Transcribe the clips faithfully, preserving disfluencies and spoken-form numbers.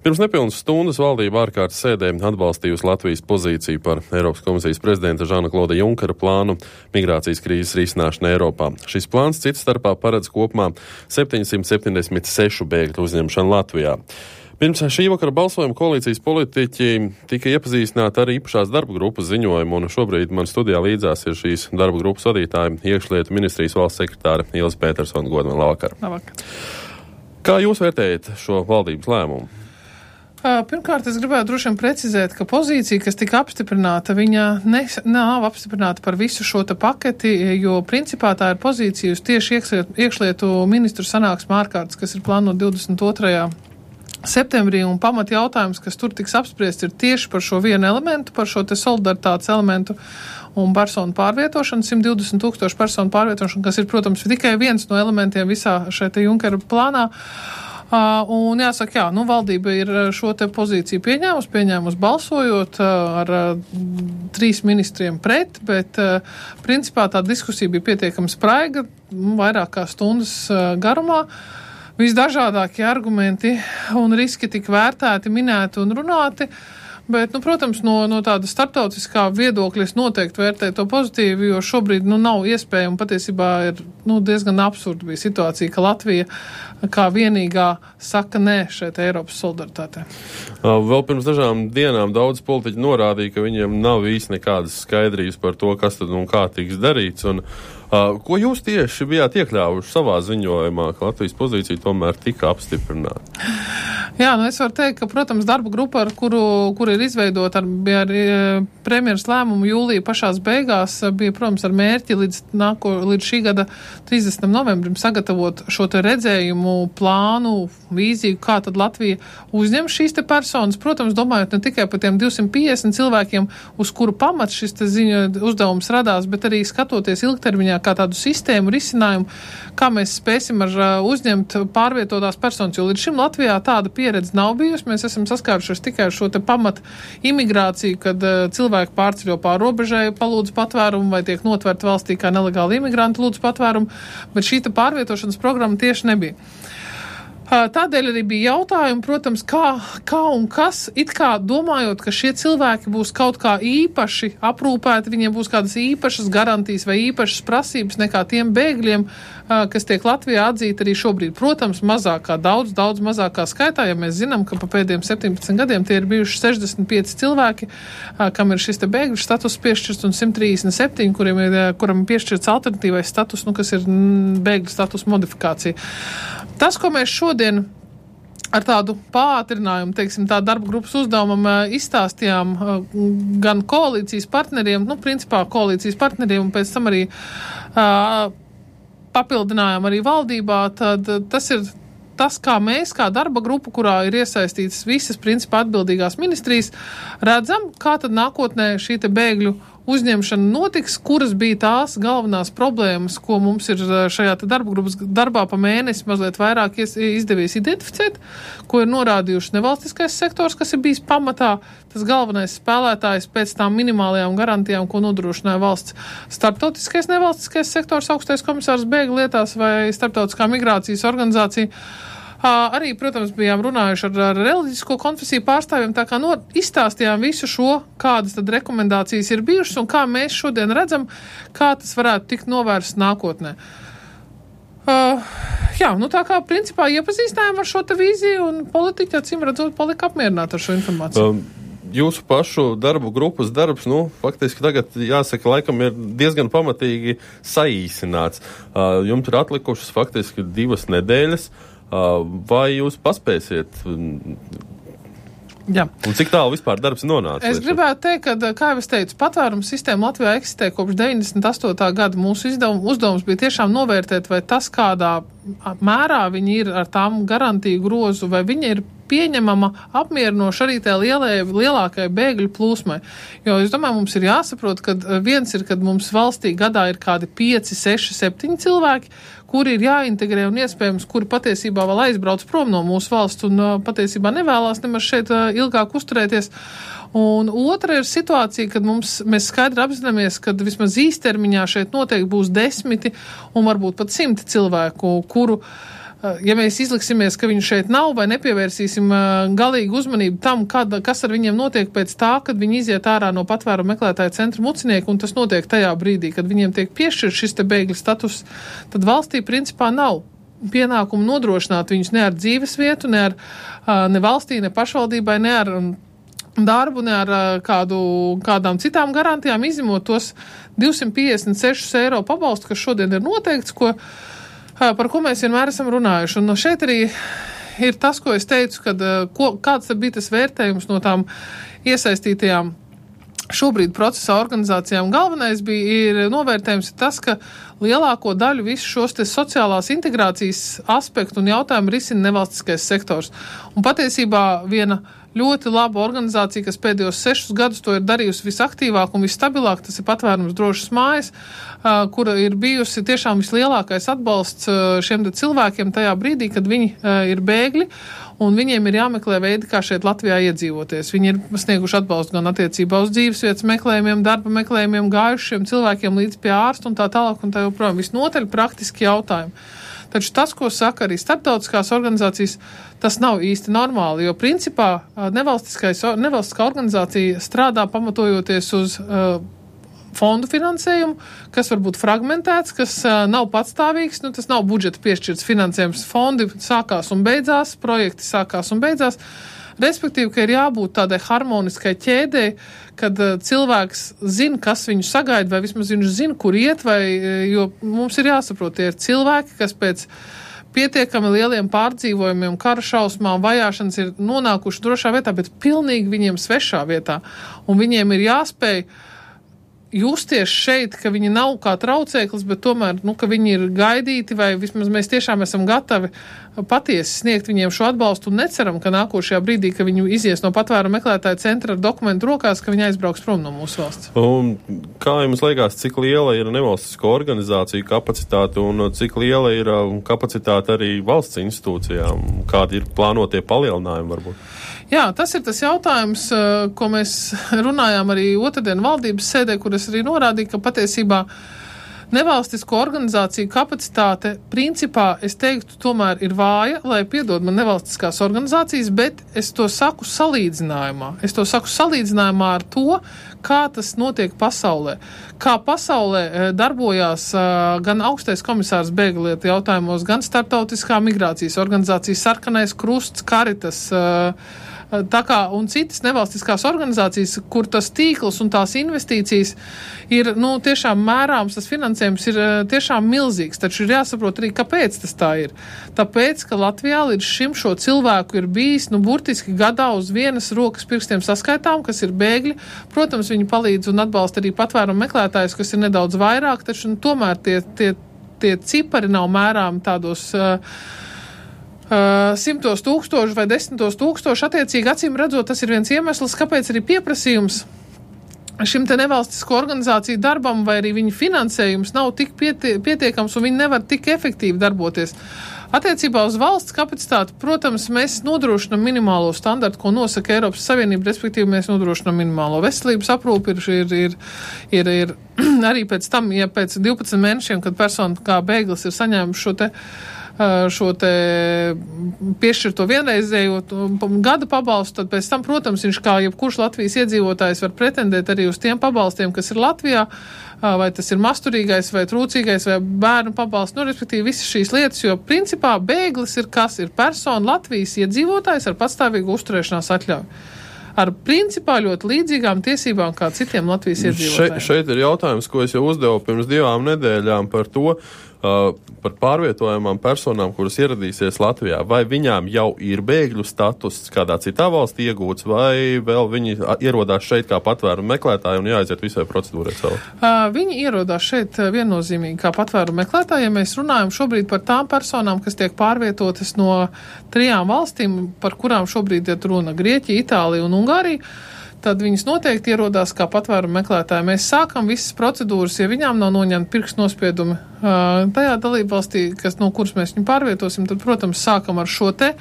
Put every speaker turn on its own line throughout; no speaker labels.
Pirms nepilnas stundas valdība ārkārtas sēdē atbalstījusi Latvijas pozīciju par Eiropas komisijas prezidenta Žana Klauda Junkera plānu migrācijas krīzes risināšanu Eiropā. Šis plāns cits starpā paredz kopumā septiņsimt septiņdesmit sešu bēgļu uzņemšanu Latvijā. Pirms šī vakara balsojuma koalīcijas politiķi tika iepazīstināti ar īpašās darba grupas ziņojumu, un šobrīd man studijā līdzās ir šīs darba grupas vadītāja, iekšlietu ministrijas valsts sekretāra Ilze Petersona. Godman, labvakar.
Labvakar.
Kā jūs vērtējat šo valdības lēmumu?
Pirmkārt, es gribētu droši vien precizēt, ka pozīcija, kas tika apstiprināta, viņa ne, nav apstiprināta par visu šo te paketi, jo principā tā ir pozīcija uz tieši iekšlietu, iekšlietu ministru sanāksmu ārkārtas, kas ir plānota divdesmit otrajā septembrī, un pamat jautājums, kas tur tiks apspriests, ir tieši par šo vienu elementu, par šo te solidaritātes elementu un personu pārvietošanu, simt divdesmit tūkstošu personu pārvietošanu, kas ir, protams, tikai viens no elementiem visā šeit te Junkera plānā. Uh, un jāsaka, jā, nu valdība ir šo te pozīciju pieņēmusi, pieņēmusi balsojot uh, ar uh, trīs ministriem pret, bet uh, principā tā diskusija bija pietiekami spraiga, vairāk kā stundas uh, garumā. Visdažādākie argumenti un riski tika vērtēti, minēti un runāti. Bet, nu, protams, no, no tāda starptautiskā viedokļa es noteikti vērtēju to pozitīvi, jo šobrīd, nu, nav iespējama, patiesībā ir, nu, diezgan absurda bija situācija, ka Latvija kā vienīgā saka nē šeit Eiropas solidaritātē.
Vēl pirms dažām dienām daudz politiķi norādīja, ka viņiem nav īsti nekādas skaidrības par to, kas tad un kā tiks darīts, un uh, ko jūs tieši bijāt iekļāvuši savā ziņojumā, ka Latvijas pozīcija tomēr tika apstiprināta?
Jā, nu es varu teikt, ka, protams, darba grupa, ar kuru, kur ir izveidota ar, bija ar premjeras lēmumu jūlija pašās beigās, bija, protams, ar mērķi līdz, nāko, līdz šī gada trīsdesmitam novembrim sagatavot šo te redzējumu, plānu, vīziju, kā tad Latvija uzņem šīs te personas, protams, domājot ne tikai par tiem divsimt piecdesmit cilvēkiem, uz kuru pamats šis te ziņa uzdevums radās, bet arī skatoties ilgtermiņā kā tādu sistēmu risinājumu, kā mēs spēsim ar uzņemt pārvietotās personas, jo līdz šim Latvijā tāda pieredze nav bijusi. Mēs esam saskārušies tikai ar šo te pamat imigrāciju, kad uh, cilvēki pārceļo pār robežai, palūdz patvērumu vai tiek notverti valstī kā nelegāli imigranti lūdz patvērumu, bet šī te pārvietošanas programma tieši nebija. Tādēļ arī bija jautājumi, protams, kā, kā un kas, it kā domājot, ka šie cilvēki būs kaut kā īpaši aprūpēti, viņiem būs kādas īpašas garantijas vai īpašas prasības nekā tiem bēgļiem, kas tiek Latvijā atzīti arī šobrīd. Protams, mazākā, daudz, daudz mazākā skaitā, ja mēs zinām, ka pa pēdējiem septiņpadsmit gadiem tie ir bijuši sešdesmit pieci cilvēki, kam ir šis te bēgļu status piešķirts, un simt trīsdesmit septiņi, kuriem ir, kuram ir piešķirts alternatīvais status, nu, kas ir bēgļu status modifikācija. Tas, ko mēs šodien ar tādu pātrinājumu, teiksim, tā darba grupas uzdevumam izstāstījām gan koalīcijas partneriem, nu, principā koalīcijas partneriem, un pēc tam arī uh, papildinājām arī valdībā, tad tas ir tas, kā mēs, kā darba grupa, kurā ir iesaistītas visas, principā, atbildīgās ministrijas, redzam, kā tad nākotnē šī te bēgļu uzņemšana notiks, kuras bija tās galvenās problēmas, ko mums ir šajā te darba grupas darbā pa mēnesi mazliet vairāk izdevies identificēt, ko ir norādījuši nevalstiskais sektors, kas ir bijis pamatā tas galvenais spēlētājs pēc tām minimālajām garantijām, ko nodrošināja valsts. Starptautiskais nevalstiskais sektors, augstais komisārs bēgļu lietās vai starptautiskā migrācijas organizācija. Arī, protams, bijām runājuši ar, ar reliģisko konfesiju pārstāvjiem, tā kā no, izstāstījām visu šo, kādas tad rekomendācijas ir bijušas un kā mēs šodien redzam, kā tas varētu tikt novērsts nākotnē. Uh, jā, nu tā kā principā iepazīstinājām ar šo te vīziju un politiķi, acīm redzot, palika apmierināti ar šo informāciju. Um.
Jūsu pašu darbu grupas darbs, nu, faktiski tagad, jāsaka, laikam ir diezgan pamatīgi saīsināts. Uh, jums ir atlikušas faktiski divas nedēļas. Uh, vai jūs paspēsiet?
Jā.
Un cik tālu vispār darbs nonāca?
Es gribētu teikt, ka, kā jau es teicu, patvērums sistēma Latvijā eksistē kopš deviņdesmit astotā gada. Mūsu izdevum, uzdevums bija tiešām novērtēt, vai tas, kādā mērā viņi ir ar tām garantiju grozu, vai viņi ir pieņemama, apmierinoša arī tā lielai, lielākai bēgļu plūsmai. Jo es domāju, mums ir jāsaprot, ka viens ir, kad mums valstī gadā ir kādi pieci, seši, septiņi cilvēki, kuri ir jāintegrē un iespējams, kuri patiesībā vēl aizbrauc prom no mūsu valsts un patiesībā nevēlās nemaz šeit ilgāk uzturēties. Un otra ir situācija, kad mums, mēs skaidri apzināmies, ka vismaz īstermiņā šeit noteikti būs desmiti un varbūt pat simti cilvēku, kuru ja mēs izliksimies, ka viņu šeit nav vai nepievērsīsim galīgu uzmanību tam, kad, kas ar viņiem notiek pēc tā, kad viņi iziet ārā no patvērumu meklētāju centra Mucinieki, un tas notiek tajā brīdī, kad viņiem tiek piešķirts šis te bēgļu status, tad valstī principā nav pienākumu nodrošināt viņus ne ar dzīves vietu, ne ar ne valstī, ne pašvaldībai, ne ar darbu, ne ar kādu, kādām citām garantijām, izņemot tos divsimt piecdesmit sešus eiro pabalstu, kas šodien ir noteikts, ko, par ko mēs vienmēr esam runājuši. Un šeit arī ir tas, ko es teicu, kad, ko, kāds bija tas vērtējums no tām iesaistītajām šobrīd procesā organizācijām. Galvenais bija ir novērtējums ir tas, ka lielāko daļu visu šos te sociālās integrācijas aspektu un jautājumu risina nevalstiskais sektors. Un patiesībā viena ļoti laba organizācija, kas pēdējos sešus gadus to ir darījusi visaktīvāk un visstabilāk, tas ir Patvērums drošas mājas, kura ir bijusi tiešām vislielākais atbalsts šiem cilvēkiem tajā brīdī, kad viņi ir bēgļi, un viņiem ir jāmeklē veidi, kā šeit Latvijā iedzīvoties. Viņi ir snieguši atbalstu gan attiecībā uz dzīvesvietas meklējumiem, darba meklējumiem, gājušiem cilvēkiem līdz pie ārsta un tā tālāk un tā joprojām. Visnotaļ praktiski jautājumi. Taču tas, ko saka arī starptautiskās organizācijas, tas nav īsti normāli, jo principā nevalstiskā organizācija strādā pamatojoties uz uh, fondu finansējumu, kas var būt fragmentēts, kas uh, nav patstāvīgs, nu tas nav budžeta piešķirts finansējums, fondi sākās un beidzās, projekti sākās un beidzās. Respektīvi, ka ir jābūt tādai harmoniskai ķēdei, kad uh, cilvēks zina, kas viņu sagaida, vai vismaz viņš zina, kur iet, vai, jo mums ir jāsaprot, tie ir cilvēki, kas pēc pietiekami lieliem pārdzīvojumiem, kara šausmām, vajāšanas ir nonākuši drošā vietā, bet pilnīgi viņiem svešā vietā. Un viņiem ir jāspēj justies šeit, ka viņi nav kā traucēklis, bet tomēr, nu, ka viņi ir gaidīti, vai vismaz mēs tiešām esam gatavi patiesi sniegt viņiem šo atbalstu un neceram, ka nākošajā brīdī, ka viņi izies no patvērumu meklētāju centra ar dokumentu rokās, ka viņi aizbrauks prom no mūsu valsts.
Un kā jums liekas, cik liela ir nevalstisko organizāciju kapacitāte un cik liela ir kapacitāte arī valsts institūcijām? Kādi ir plānotie palielinājumi varbūt?
Jā, tas ir tas jautājums, ko mēs runājām arī otrdien valdības sēdē, kur es arī norādīju, ka patiesībā nevalstisko organizāciju kapacitāte principā, es teiktu, tomēr ir vāja, lai piedod man nevalstiskās organizācijas, bet es to saku salīdzinājumā. Es to saku salīdzinājumā ar to, kā tas notiek pasaulē. Kā pasaulē darbojās gan augstais komisārs bēgļu lietu jautājumos, gan starptautiskā migrācijas organizācija Sarkanais krusts, Caritas, tā kā un citas nevalstiskās organizācijas, kur tas tīkls un tās investīcijas ir, nu, tiešām mērāms, tas finansējums ir tiešām milzīgs, taču ir jāsaprot arī, kāpēc tas tā ir. Tāpēc, ka Latvijā līdz šim šo cilvēku ir bijis, nu, burtiski gadā uz vienas rokas pirkstiem saskaitām, kas ir bēgļi. Protams, viņi palīdz un atbalsta arī patvērumu meklētājus, kas ir nedaudz vairāk, taču, nu, tomēr tie, tie, tie cipari nav mērāmi tādos uh, Uh, simtos tūkstoši vai desmitos tūkstoši, attiecīgi acīm redzot, tas ir viens iemesls, kāpēc arī pieprasījums šim te nevalstisko organizāciju darbam vai arī viņu finansējums nav tik pietie, pietiekams un viņi nevar tik efektīvi darboties. Attiecībā uz valsts kapacitāti, protams, mēs nodrošinam minimālo standartu, ko nosaka Eiropas Savienība, respektīvi mēs nodrošinam minimālo veselības aprūpi, ir, ir, ir, ir arī pēc tam, ja pēc divpadsmit mēnešiem, kad persona kā bēglis ir saņēmuši šo te šo te piešķirto vienreizējo gada pabalstu, tad pēc tam, protams, viņš kā jebkurš Latvijas iedzīvotājs var pretendēt arī uz tiem pabalstiem, kas ir Latvijā, vai tas ir masturīgais, vai trūcīgais, vai bērnu pabalsts, nu, respektīvi visas šīs lietas, jo principā bēglis ir kas? Ir persona Latvijas iedzīvotājs ar patstāvīgu uzturēšanās atļauju. Ar principā ļoti līdzīgām tiesībām kā citiem Latvijas iedzīvotājiem.
Še, šeit ir jautājums, ko es jau uzdevu pirms divām nedēļām par to, uh, par pārvietojamām personām, kuras ieradīsies Latvijā. Vai viņām jau ir bēgļu status kādā citā valstī iegūts, vai vēl viņi ierodās šeit kā patvērumu meklētāji un jāaiziet visai procedūrai savu?
Uh, viņi ierodās šeit viennozīmīgi kā patvērumu meklētāji. Ja mēs runājam šobrīd par tām personām, kas tiek pārvietotas no trijām valstīm, par kurām šobrīd ir runa Grieķija, Itālija un Ungārija, tad viņas noteikti ierodās kā patvērumu meklētāji. Mēs sākam visas procedūras, ja viņām nav noņemti pirkstu nospiedumi uh, tajā dalībvalstī, kas, no kuras mēs viņu pārvietosim, tad, protams, sākam ar šo te,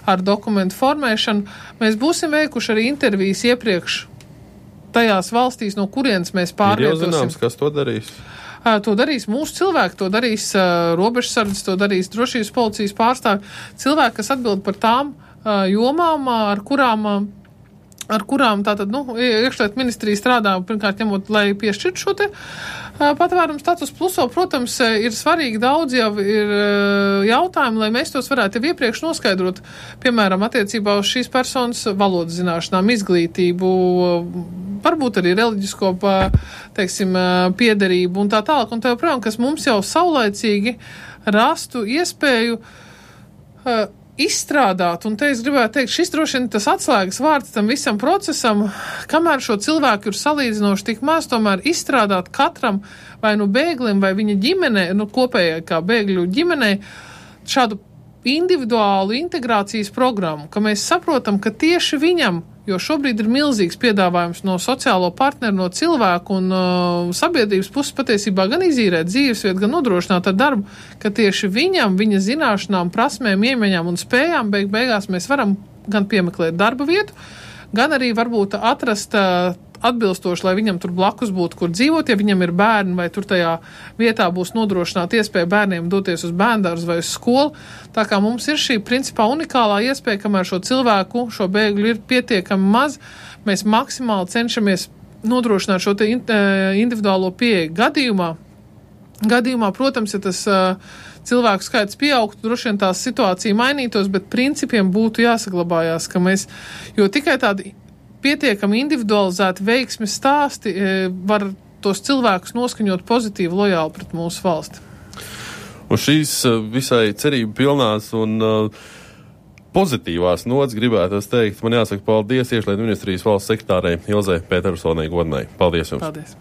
ar dokumentu formēšanu. Mēs būsim veikuši arī intervijas iepriekš tajās valstīs, no kurienes mēs pārvietosim.
Ir jau zināms, kas to darīs?
To darīs mūsu cilvēki, to darīs uh, robežsardzes, to darīs drošības policijas pārstāvi. Cilvēki, kas atbild par tām uh, jomām, ar kurām, uh, ar kurām tātad, nu, iekšlietu ministrija strādā, pirmkārt ņemot, lai piešķirtu šo te uh, patvērumu status pluso. Protams, ir svarīgi daudz jau ir uh, jautājumi, lai mēs tos varētu jau iepriekš noskaidrot, piemēram, attiecībā uz šīs personas valodas zināšanām, izglītību, varbūt arī reliģisko, teiksim, piederību un tā tālāk. Un tā joprojām, kas mums jau saulaicīgi rastu iespēju uh, izstrādāt. Un te es gribētu teikt, šis droši vien tas atslēgas vārds tam visam procesam, kamēr šo cilvēku ir salīdzinoši tik maz, tomēr izstrādāt katram vai nu bēglim vai viņa ģimenei, nu kopējai kā bēgļu ģimenei, šādu individuālu integrācijas programmu, ka mēs saprotam, ka tieši viņam, jo šobrīd ir milzīgs piedāvājums no sociālo partneru, no cilvēku un uh, sabiedrības puses patiesībā gan izīrēt dzīvesvietu, gan nodrošināt ar darbu, ka tieši viņam, viņa zināšanām, prasmēm, iemaņām un spējām beig beigās mēs varam gan piemeklēt darba vietu, gan arī varbūt atrast uh, atbilstoši, lai viņam tur blakus būtu, kur dzīvot, ja viņam ir bērni, vai tur tajā vietā būs nodrošināta iespēja bērniem doties uz bērndārzu vai uz skolu. Tā kā mums ir šī principā unikālā iespēja, kamēr šo cilvēku, šo bēgļu ir pietiekami maz, mēs maksimāli cenšamies nodrošināt šo te individuālo pieeju gadījumā. Gadījumā, protams, ja tas uh, cilvēku skaits pieaugtu, droši vien tās situācija mainītos, bet principiem būtu jāsaglabājās, ka mēs, jo tikai tādi pietiekami individualizēti veiksmes stāsti var tos cilvēkus noskaņot pozitīvi, lojāli pret mūsu valsti.
Un šīs visai cerību pilnās un uh, pozitīvās nots gribētu es teikt, man jāsaka paldies Iekšlietu ministrijas valsts sekretārei Ilzei Petersonai Godnai. Paldies jums!
Paldies!